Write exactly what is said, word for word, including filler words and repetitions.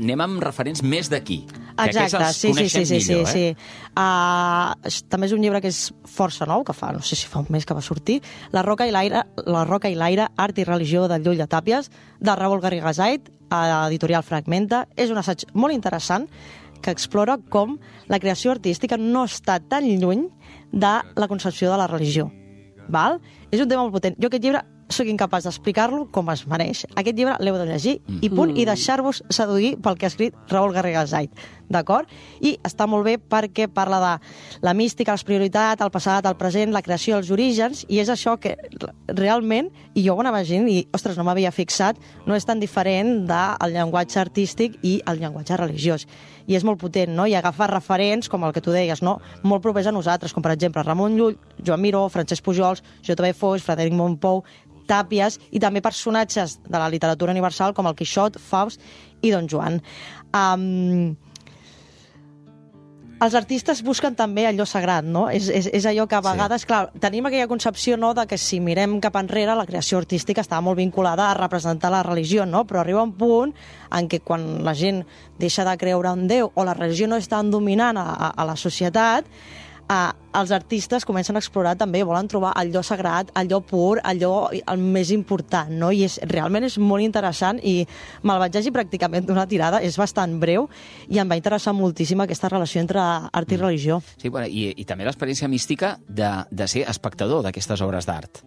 anem amb referents més d'aquí. Exacte, sí, sí, sí, sí, millor, sí, eh? sí. Uh, també és un llibre que és força nou, que fa, no sé si fa un mes que va sortir, La roca i l'aire, La roca i l'aire, art i religió del Llull de Tàpies, de Raül Garrigasait, a editorial Fragmenta. És un assaig molt interessant que explora com la creació artística no està tan lluny de la concepció de la religió. Val? És un tema molt potent. Jo aquest llibre sóc incapaç d'explicar-lo com es mereix. Aquest llibre l'heu de llegir i punt, i deixar-vos seduir pel que ha escrit Raül Garrigasait, d'acord? I està molt bé perquè parla de la mística, les prioritats, el passat, el present, la creació, els orígens, i és això que realment, i jo ho anava llegint i, ostres, no m'havia fixat, no és tan diferent del llenguatge artístic i el llenguatge religiós. I és molt potent, no? I agafar referents, com el que tu deies, no? Molt propers a nosaltres, com per exemple Ramon Llull, Joan Miró, Francesc Pujols, J V Foix, Frederic Montpou, Tàpies, i també personatges de la literatura universal com el Quixot, Faust i Don Joan. Um, els artistes busquen també allò sagrat, no? És, és, és allò que a vegades, sí. Clar, tenim aquella concepció, no?, de que si mirem cap enrere la creació artística estava molt vinculada a representar la religió, no? Però arriba un punt en què quan la gent deixa de creure en Déu o la religió no és tan dominant a, a, a la societat, Uh, els artistes comencen a explorar també, volen trobar allò sagrat, allò pur, allò el més important, no? I és, realment és molt interessant i me'l vaig llegir pràcticament d'una tirada, és bastant breu i em va interessar moltíssim aquesta relació entre art i religió. Sí, bueno, i, i també l'experiència mística de, de ser espectador d'aquestes obres d'art.